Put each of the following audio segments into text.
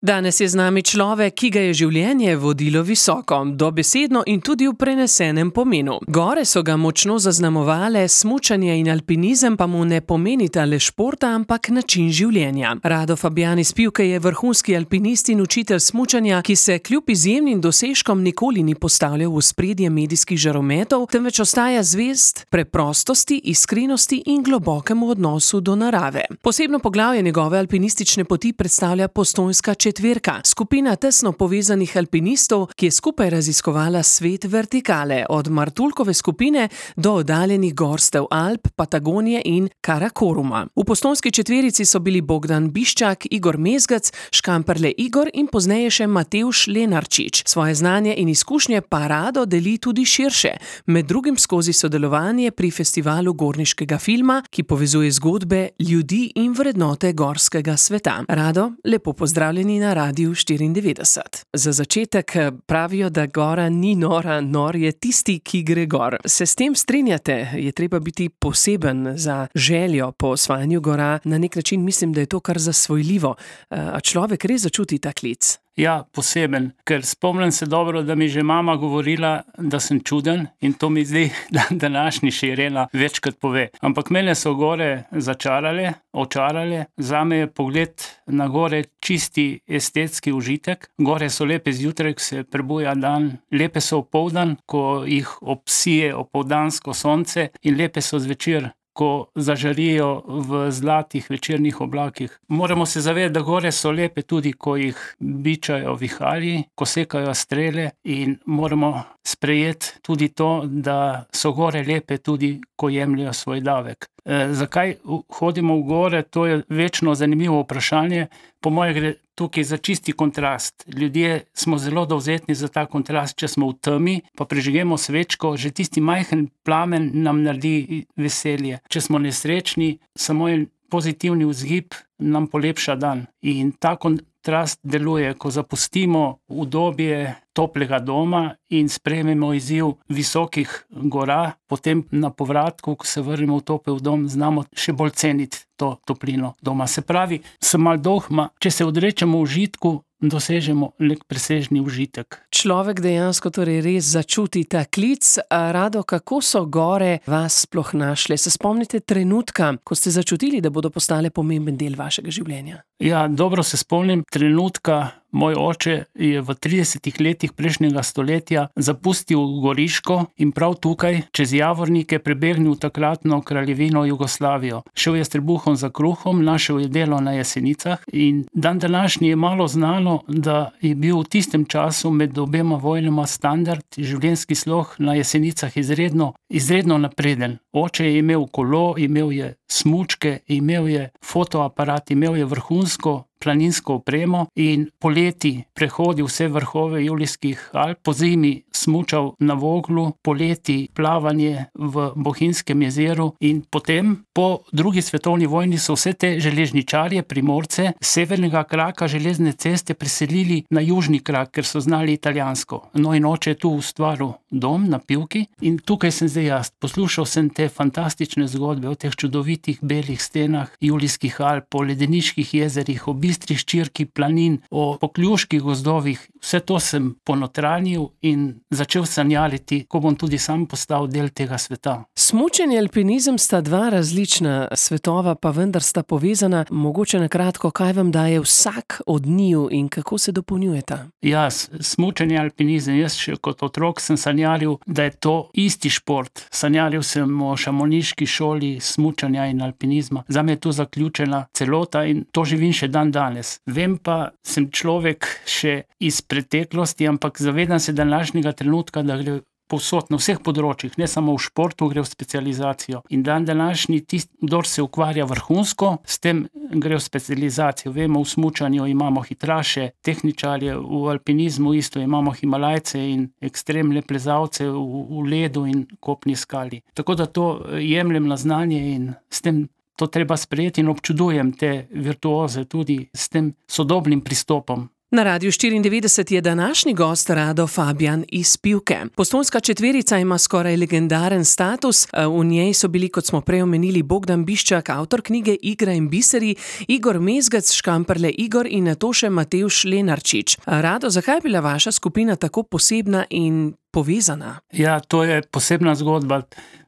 Danes je z nami človek, ki ga je življenje vodilo visoko, dobesedno in tudi v prenesenem pomenu. Gore so ga močno zaznamovale, smučanje in alpinizem pa mu ne pomenita le športa, ampak način življenja. Rado Fabjan iz Pivke je vrhunski alpinist in učitelj smučanja, ki se kljub izjemnim dosežkom nikoli ni postavljal v ospredje medijskih žarometov, temveč ostaja zvest preprostosti, iskrenosti in globokemu odnosu do narave. Posebno poglavje njegove alpinistične poti predstavlja Postojnska četverka, skupina tesno povezanih alpinistov, ki je skupaj raziskovala svet vertikale, od Martuljkove skupine do oddaljenih gorstev Alp, Patagonije in Karakoruma. V Postojnski četverici so bili Bogdan Biščak, Igor Mezgec, Škamperle Igor in pozneje še Matevž Lenarčič. Svoje znanje in izkušnje pa Rado deli tudi širše, med drugim skozi sodelovanje pri festivalu gorniškega filma, ki povezuje zgodbe ljudi in vrednote gorskega sveta. Rado, lepo pozdravljeni na Radiu 94. Za začetek pravijo, da gora ni nora, nor je tisti, ki gre gor. Se s tem strinjate? Je treba biti poseben za željo po osvajanju gora? Na nek način mislim, da je to kar zasvojljivo. A človek res začuti ta klic? Ja, poseben, ker spomnim se dobro, da mi že mama govorila, da sem čuden in to mi zdaj današnji Irena večkrat pove. Ampak mene so gore začarale, očarale, zame je pogled na gore čisti estetski užitek. Gore so lepe zjutraj, ko se prebuja dan, lepe so opoldan, ko jih obsije opoldansko sonce in lepe so zvečer, ko zažarijo v zlatih večernih oblakih. Moramo se zavedati, da gore so lepe tudi, ko jih bičajo viharji, ko sekajo strele in moramo sprejeti tudi to, da so gore lepe tudi, ko jemljajo svoj davek. Zakaj hodimo v gore, to je večno zanimivo vprašanje. Po moje gre tukaj za čisti kontrast. Ljudje smo zelo dovzetni za ta kontrast, če smo v temi, pa prižgemo svečko, že tisti majhen plamen nam naredi veselje. Če smo nesrečni, samo en pozitivni vzgib nam polepša dan. In ta kontrast deluje, ko zapustimo udobje toplega doma in sprejmemo izziv visokih gora, potem na povratku, ko se vrnemo v topel dom, znamo še bolj ceniti to toplino doma. Se pravi, sem malo dohma, če se odrečemo užitku, dosežemo nek presežni užitek. Človek dejansko torej res začuti ta klic. Rado, kako so gore vas sploh našle? Se spomnite trenutka, ko ste začutili, da bodo postale pomemben del vašega življenja? Ja, dobro se spomnim trenutka. Moj oče je v 30 letih prejšnjega stoletja zapustil Goriško in prav tukaj, čez Javornike, prebegnil takratno kraljevino Jugoslavijo. Šel je s trebuhom za kruhom, našel je delo na Jesenicah in dan današnji je malo znano, da je bil v tistem času med obema vojnama standard, življenjski slog na Jesenicah izredno napreden. Oče je imel kolo, imel je smučke, imel je fotoaparat, imel je vrhunsko planinsko opremo in poleti prehodil vse vrhove Julijskih Alp, po zimi smučal na Voglu, poleti plavanje v Bohinjskem jezeru in potem po drugi svetovni vojni so vse te železničarje, Primorce, s severnega kraka železne ceste preselili na južni krak, ker so znali italijansko. No in oče je tu ustvaril dom na Pivki in tukaj sem zdaj jaz. Poslušal sem te fantastične zgodbe o teh čudovitih belih stenah Julijskih Alp, o ledeniških jezerih, o bistri ščirki planin, o pokljuških gozdovih. Vse to sem ponotranil in začel sanjariti, ko bom tudi sam postal del tega sveta. Smučanje in alpinizem sta dva različna svetova, pa vendar sta povezana. Mogoče na kratko, kaj vam daje vsak od njiju in kako se dopolnjujeta? Ja, smučanje in alpinizem. Jaz še kot otrok sem sanjaril, da je to isti šport. Sanjaril sem o šamoniški šoli smučanja in alpinizma. Zame je to zaključena celota in to živim še dan danes. Vem pa, sem človek še iz preteklosti, ampak zavedam se današnjega trenutka, da gre povsod na vseh področjih, ne samo v športu, gre v specializacijo. In dan današnji tisti, kdor se ukvarja vrhunsko, s tem gre v specializacijo. Vemo, v smučanju imamo hitraše, tehničarje, v alpinizmu isto imamo Himalajce in ekstremne plezalce v ledu in kopni skali. Tako da to jemljem na znanje in s tem to treba sprejeti in občudujem te virtuoze tudi s tem sodobnim pristopom. Na Radiu 94 je današnji gost Rado Fabijan iz Pivke. Postojnska četverica ima skoraj legendaren status. V njej so bili, kot smo prej omenili, Bogdan Biščak, avtor knjige Igra in biseri, Igor Mezgec, Škamperle Igor in nato še Matevž Lenarčič. Rado, zakaj je bila vaša skupina tako posebna in povezana? Ja, to je posebna zgodba.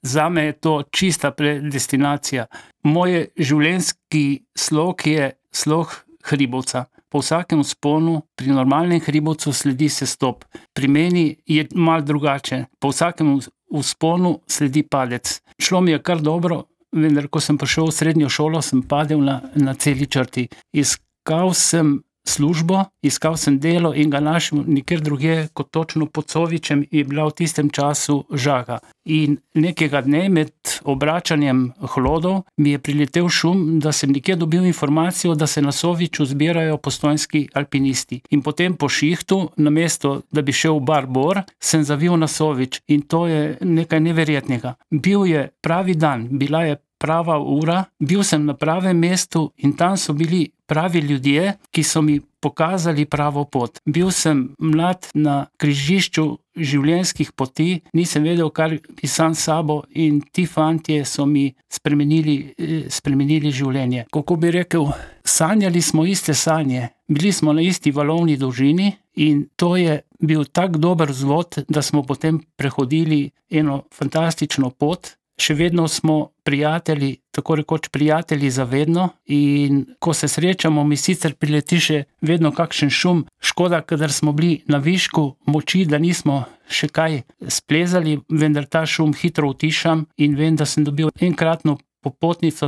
Zame je to čista predestinacija. Moj življenjski slog je slog hribovca. Po vsakem vzponu, pri normalnem hribovcu sledi sestop. Pri meni je malo drugače. Po vsakem vzponu sledi padec. Šlo mi je kar dobro, vendar ko sem prišel v srednjo šolo, sem padel na celi črti. Iskal sem službo, iskal sem delo in ga našel nikjer drugje kot točno pod Covičem, je bila v tistem času Žaga. In nekega dne med obračanjem hlodov mi je priletel šum, da sem nekje dobil informacijo, da se na Soviču zbirajo postojnski alpinisti. In potem po šihtu, namesto da bi šel v bar Bor, sem zavil na Sovič in to je nekaj neverjetnega. Bil je pravi dan, bila je prava ura, bil sem na pravem mestu in tam so bili pravi ljudje, ki so mi pokazali pravo pot. Bil sem mlad na križišču življenjskih poti, nisem vedel, kar bi sam s sabo in ti fantje so mi spremenili življenje. Kako bi rekel, sanjali smo iste sanje, bili smo na isti valovni dolžini in to je bil tak dober vzvod, da smo potem prehodili eno fantastično pot. Še vedno smo prijatelji, tako rekoč prijatelji za vedno in ko se srečamo, mi sicer prileti še vedno kakšen šum. Škoda, kadar smo bili na višku moči, da nismo še kaj splezali, vendar ta šum hitro utišam in vem, da sem dobil enkratno popotnico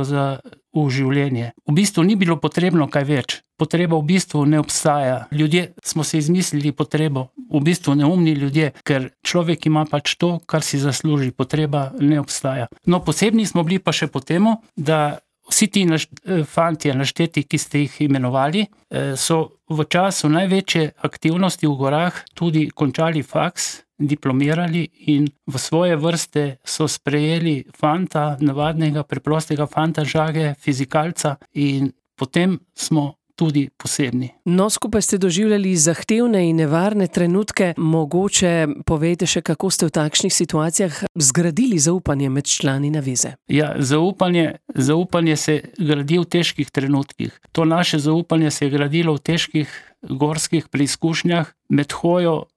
v življenje. V bistvu ni bilo potrebno kaj več. Potreba v bistvu ne obstaja. Ljudje smo se izmislili potrebo, v bistvu neumni ljudje, ker človek ima pač to, kar si zasluži. Potreba ne obstaja. No, posebni smo bili pa še po temu, da vsi ti fantje našteti, ki ste jih imenovali, so v času največje aktivnosti v gorah tudi končali faks, diplomirali in v svoje vrste so sprejeli fanta, navadnega, preprostega fanta Žage, fizikalca in potem smo tudi posebni. No, skupaj ste doživljali zahtevne in nevarne trenutke. Mogoče povejte še, kako ste v takšnih situacijah zgradili zaupanje med člani naveze? Ja, zaupanje se gradi v težkih trenutkih. To naše zaupanje se je gradilo v težkih gorskih preizkušnjah, med hojo,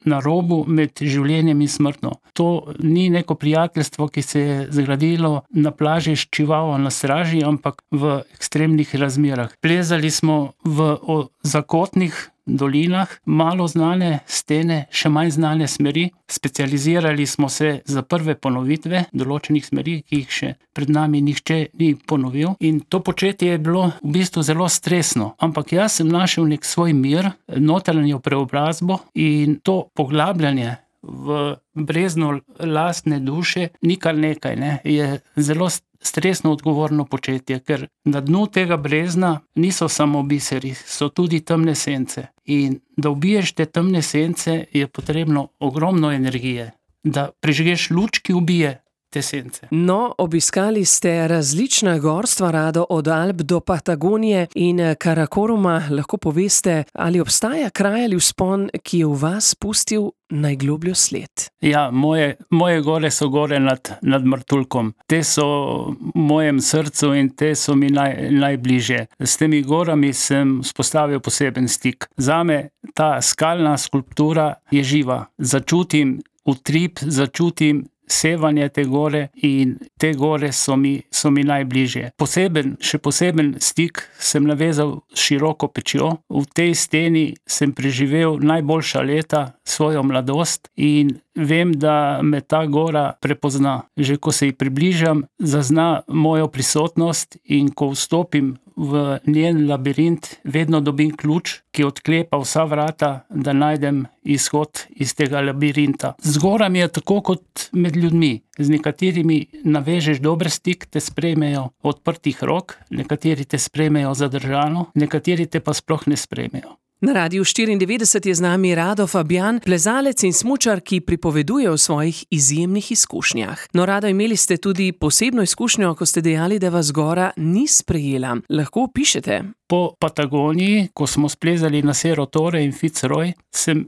na robu, med življenjem in smrtno. To ni neko prijateljstvo, ki se je zgradilo na plaži s čivavo na straži, ampak v ekstremnih razmerah. Plezali smo v zakotnih dolinah, malo znane stene, še manj znane smeri. Specializirali smo se za prve ponovitve določenih smeri, ki jih še pred nami nihče ni ponovil. In to početje je bilo v bistvu zelo stresno. Ampak jaz sem našel nek svoj mir, notranjo preobrazbo in to poglabljanje v brezno lastne duše ni kar nekaj, ne? Je zelo stresno odgovorno početje, ker na dnu tega brezna niso samo biseri, so tudi temne sence. In da ubiješ te temne sence, je potrebno ogromno energije. Da prižgeš luč, ki ubije te sence. No, obiskali ste različna gorstva, Rado, od Alp do Patagonije in Karakoruma. Lahko poveste, ali obstaja kraj ali vzpon, ki je v vas pustil najglobljo sled? Ja, moje gore so gore nad Martuljkom. Te so v mojem srcu in te so mi najbližje. S temi gorami sem vzpostavil poseben stik. Zame ta skalna skulptura je živa. Začutim utrip, začutim sevanje te gore in te gore so mi najbližje. Še poseben stik sem navezal s Široko pečjo. V tej steni sem preživel najboljša leta, svojo mladost in vem, da me ta gora prepozna. Že ko se ji približam, zazna mojo prisotnost in ko vstopim v njen labirint, vedno dobim ključ, ki odklepa vsa vrata, da najdem izhod iz tega labirinta. Z gorami je tako kot med ljudmi. Z nekaterimi navežeš dober stik, te sprejmejo odprtih rok, nekateri te sprejmejo zadržano, nekateri te pa sploh ne sprejmejo. Na Radiu 94 je z nami Rado Fabjan, plezalec in smučar, ki pripoveduje o svojih izjemnih izkušnjah. No, Rado, imeli ste tudi posebno izkušnjo, ko ste dejali, da vas gora ni sprejela. Lahko opišete? Po Patagoniji, ko smo splezali na Cerro Torre in Fitzroy, sem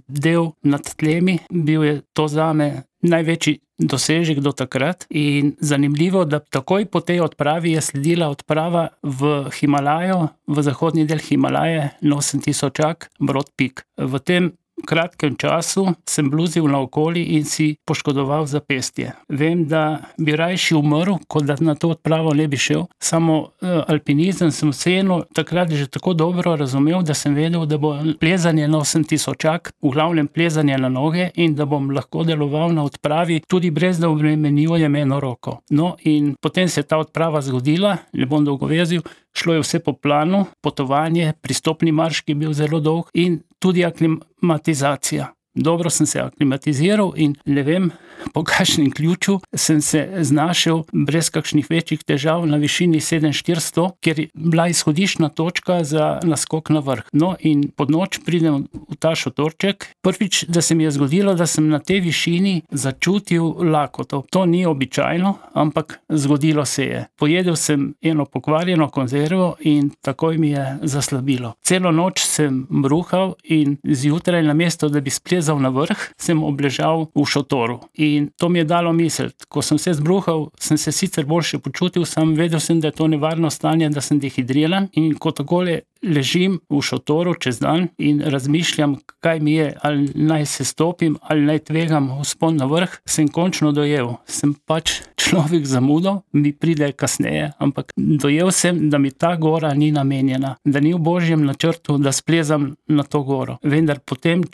ledel nad tlemi. Bil je to zame največji dosežek do takrat in zanimivo, da takoj po tej odpravi je sledila odprava v Himalajo, v zahodni del Himalaje, na 8000 Broad Peak. V tem kratkem času sem bluzil naokoli in si poškodoval zapestje. Vem, da bi rajši umrl, kot da na to odpravo ne bi šel. Samo alpinizem sem vseeno takrat že tako dobro razumel, da sem vedel, da bo plezanje na 8000, v glavnem plezanje na noge, in da bom lahko deloval na odpravi, tudi brez da obremenjujem eno roko. No, in potem se je ta odprava zgodila, ne bom dolgovezil, šlo je vse po planu, potovanje, pristopni marš, ki je bil zelo dolg, in tudi aklimatizacija. Dobro sem se aklimatiziral in ne vem, po kakšnem ključu sem se znašel brez kakšnih večjih težav na višini 7400, kjer je bila izhodiščna točka za naskok na vrh. No, in pod noč pridem v ta šotorček. Prvič, da se mi je zgodilo, da sem na tej višini začutil lakoto. To ni običajno, ampak zgodilo se je. Pojedel sem eno pokvarjeno konzervo in takoj mi je zaslabilo. Celo noč sem bruhal in zjutraj, namesto da bi splezal na vrh, sem obležal v šotoru. In to mi je dalo misliti. Ko sem se zbruhal, sem se sicer boljše počutil, sam vedel sem, da je to nevarno stanje, da sem dehidriran, in ko takole ležim v šotoru čez dan in razmišljam, kaj mi je, ali naj se stopim, ali naj tvegam vzpon na vrh, sem končno dojel. Sem pač človek zamudil, mi pride kasneje, ampak dojel sem, da mi ta gora ni namenjena, da ni v božjem načrtu, da splezam na to goro. Vendar potem,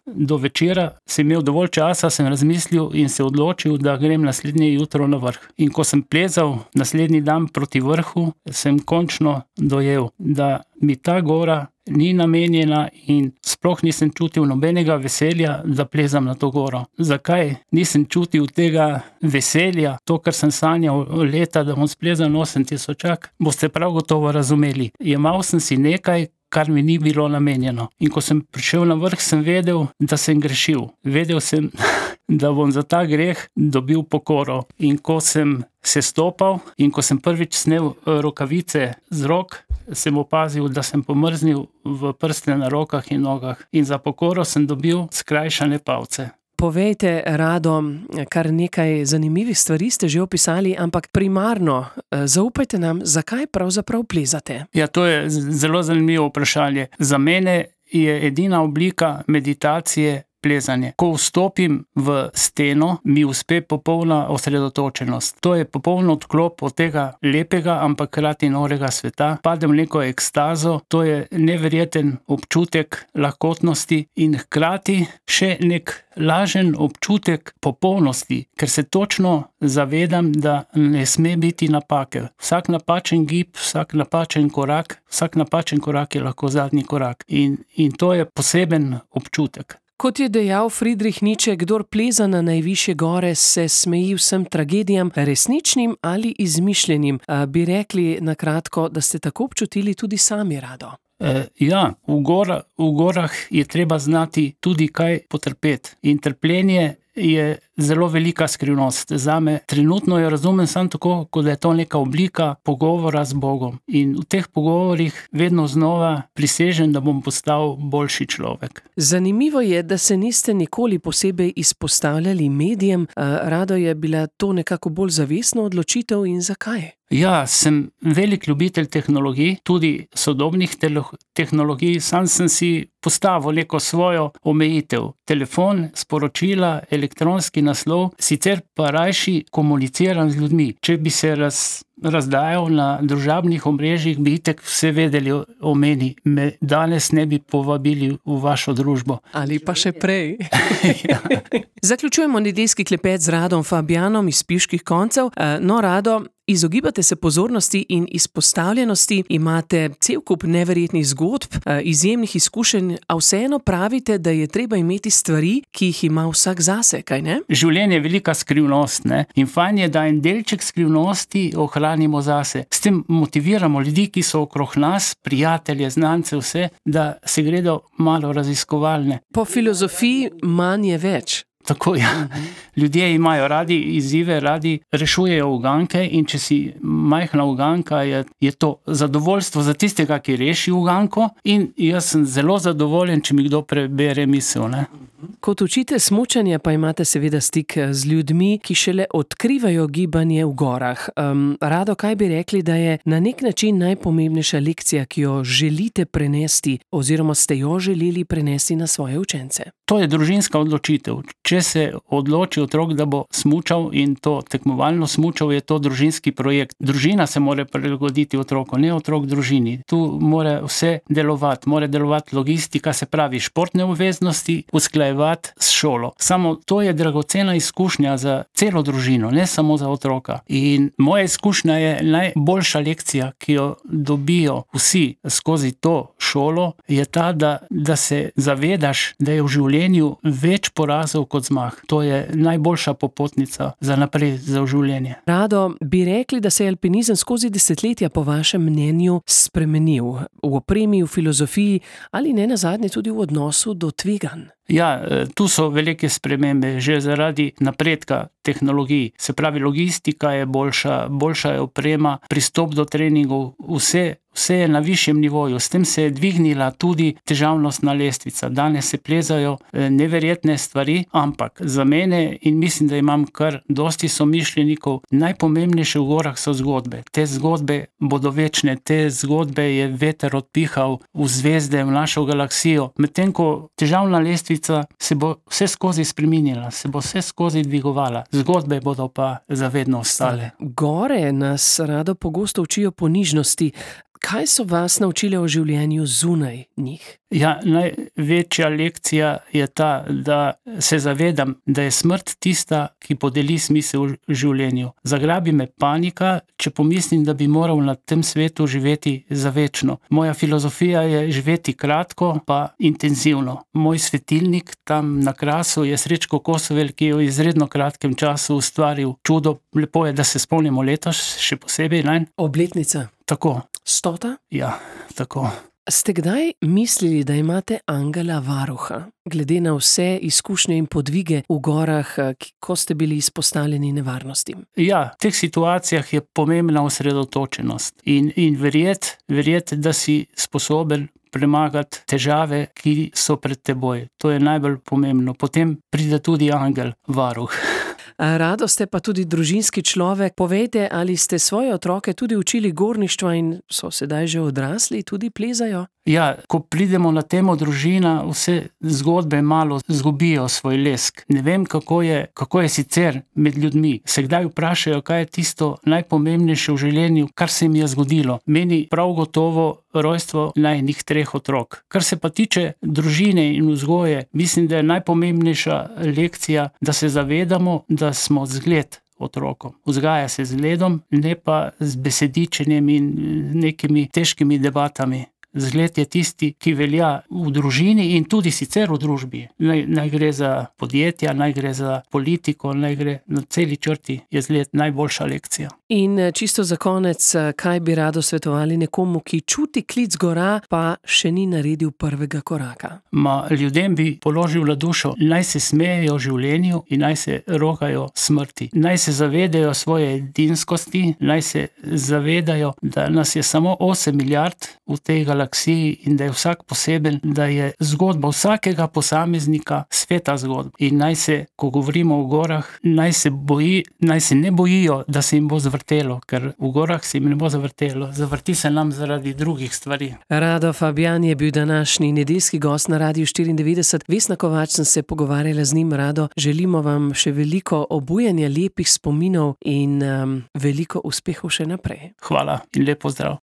do večera, sem imel dovolj časa, sem razmislil in se odločil, da grem naslednje jutro na vrh. In ko sem plezal naslednji dan proti vrhu, sem končno dojel, da mi ta gora ni namenjena in sploh nisem čutil nobenega veselja, da plezam na to goro. Zakaj nisem čutil tega veselja, to, kar sem sanjal leta, da bom splezal na 8000, boste prav gotovo razumeli. Jemal sem si nekaj, kar mi ni bilo namenjeno. In ko sem prišel na vrh, sem vedel, da sem grešil. Vedel sem, da bom za ta greh dobil pokoro. In ko sem se stopal in ko sem prvič snel rokavice z rok, sem opazil, da sem pomrznil v prste na rokah in nogah. In za pokoro sem dobil skrajšane palce. Povejte, Rado, kar nekaj zanimivih stvari ste že opisali, ampak primarno zaupajte nam, zakaj pravzaprav plezate? Ja, to je zelo zanimivo vprašanje. Za mene je edina oblika meditacije plezanje. Ko vstopim v steno, mi uspe popolna osredotočenost. To je popoln odklop od tega lepega, ampak hkrati norega sveta. Padem v neko ekstazo, to je neverjeten občutek lahkotnosti in hkrati še nek lažen občutek popolnosti, ker se točno zavedam, da ne sme biti napake. Vsak napačen gib, vsak napačen korak je lahko zadnji korak. In to je poseben občutek. Kot je dejal Friedrich Nietzsche, kdor pleza na najvišje gore, se smeji vsem tragedijam, resničnim ali izmišljenim. Bi rekli na kratko, da ste tako občutili tudi sami, Rado? Ja, v gorah je treba znati tudi kaj potrpeti. In trpljenje je zelo velika skrivnost. Zame trenutno jo razumem samo tako, kot da je to neka oblika pogovora z Bogom. In v teh pogovorih vedno znova prisežem, da bom postal boljši človek. Zanimivo je, da se niste nikoli posebej izpostavljali medijem. Rado, je bila to nekako bolj zavestna odločitev in zakaj? Ja, sem velik ljubitelj tehnologij, tudi sodobnih tehnologij. Sam sem si postavil neko svojo omejitev. Telefon, sporočila, elektronski naslov, sicer pa rajši komuniciram z ljudmi. Če bi se razdajal na družabnih omrežjih, bi itak vse vedeli o meni. Me danes ne bi povabili v vašo družbo. Ali pa še prej. Ja. Zaključujemo nedeljski klepet z Radom Fabjanom iz Piških koncev. No, Rado, Izogibate se pozornosti in izpostavljenosti, imate cel kup neverjetnih zgodb, izjemnih izkušenj, a vseeno pravite, da je treba imeti stvari, ki jih ima vsak zase, kaj ne? Življenje je velika skrivnost, ne? In fajn je, da en delček skrivnosti ohranimo zase. S tem motiviramo ljudi, ki so okrog nas, prijatelje, znance, vse, da se gredo malo raziskovalne. Po filozofiji manj je več. Tako, ja. Ljudje imajo radi izzive, radi rešujejo uganke in če si majhna uganka, je to zadovoljstvo za tistega, ki reši uganko, in jaz sem zelo zadovoljen, če mi kdo prebere misel, ne. Kot učitelj smučanja pa imate seveda stik z ljudmi, ki šele odkrivajo gibanje v gorah. Rado, kaj bi rekli, da je na nek način najpomembnejša lekcija, ki jo želite prenesti oziroma ste jo želeli prenesti na svoje učence? To je družinska odločitev. Če se odloči otrok, da bo smučal in to tekmovalno smučal, je to družinski projekt. Družina se mora prilagoditi otroku, ne otrok družini. Tu mora vse delovati. Mora delovati logistika, se pravi športne obveznosti, usklajevati s šolo. Samo to je dragocena izkušnja za celo družino, ne samo za otroka. In moja izkušnja je najboljša lekcija, ki jo dobijo vsi skozi to šolo, je ta, da se zavedaš, da je v življenju več porazov kot zmag. To je najboljša popotnica za naprej, za življenje. Rado, bi rekli, da se je alpinizem skozi desetletja po vašem mnenju spremenil v opremi, v filozofiji ali ne nazadnje tudi v odnosu do tveganj? Ja, tu so velike spremembe, že zaradi napredka tehnologij. Se pravi, logistika je boljša je oprema, pristop do treningov, vse je na višjem nivoju. S tem se je dvignila tudi težavnostna lestvica. Danes se plezajo neverjetne stvari, ampak za mene, in mislim, da imam kar dosti somišljenikov, najpomembnejše v gorah so zgodbe. Te zgodbe bodo večne, te zgodbe je veter odpihal v zvezde, v našo galaksijo. Medtem ko težavna lestvica se bo vse skozi spreminjala, se bo vse skozi dvigovala. Zgodbe bodo pa zavedno ostale. Gore nas rado pogosto učijo ponižnosti. Kaj so vas naučile o življenju zunaj njih? Ja, največja lekcija je ta, da se zavedam, da je smrt tista, ki podeli smisel v življenju. Zagrabi me panika, če pomislim, da bi moral na tem svetu živeti za večno. Moja filozofija je živeti kratko, pa intenzivno. Moj svetilnik tam na Krasu je Srečko Kosovel, ki je v izredno kratkem času ustvaril čudo. Lepo je, da se spomnimo letos, še posebej, ne? Obletnica. Tako. 100? Ja, tako. Ste kdaj mislili, da imate angela varuha, glede na vse izkušnje in podvige v gorah, ko ste bili izpostavljeni nevarnostim? Ja, v teh situacijah je pomembna osredotočenost in verjeti, da si sposoben premagati težave, ki so pred teboj. To je najbolj pomembno. Potem pride tudi angel varuh. Rado, ste pa tudi družinski človek. Povejte, ali ste svoje otroke tudi učili gorništva in so sedaj že odrasli, tudi plezajo? Ja, ko pridemo na temo družina, vse zgodbe malo zgubijo svoj lesk. Ne vem, kako je sicer med ljudmi. Se kdaj vprašajo, kaj je tisto najpomembnejše v življenju, kar se jim je zgodilo. Meni prav gotovo rojstvo najinih 3 otrok. Kar se pa tiče družine in vzgoje, mislim, da je najpomembnejša lekcija, da se zavedamo, da smo zgled otrokom. Vzgaja se z zgledom, ne pa z besedičenjem in nekimi težkimi debatami. Zgled je tisti, ki velja v družini in tudi sicer v družbi. Naj gre za podjetja, naj gre za politiko, naj gre na celi črti, je zgled najboljša lekcija. In čisto za konec, kaj bi rado svetovali nekomu, ki čuti klic gora, pa še ni naredil prvega koraka? Ljudem bi položil na dušo, naj se smejejo življenju in naj se rokajo smrti. Naj se zavedajo svoje edinskosti, naj se zavedajo, da nas je samo 8 milijard v tej galaksiji in da je vsak poseben, da je zgodba vsakega posameznika sveta zgodba. In naj se, ko govorimo o gorah, naj se ne bojijo, da se jim bo zavrtelo, ker v gorah se jim ne bo zavrtelo. Zavrti se nam zaradi drugih stvari. Rado Fabjan je bil današnji nedeljski gost na Radiu 94. Vesna Kovač sem se pogovarjala z njim. Rado, želimo vam še veliko obujanja lepih spominov in veliko uspehov še naprej. Hvala in lep pozdrav.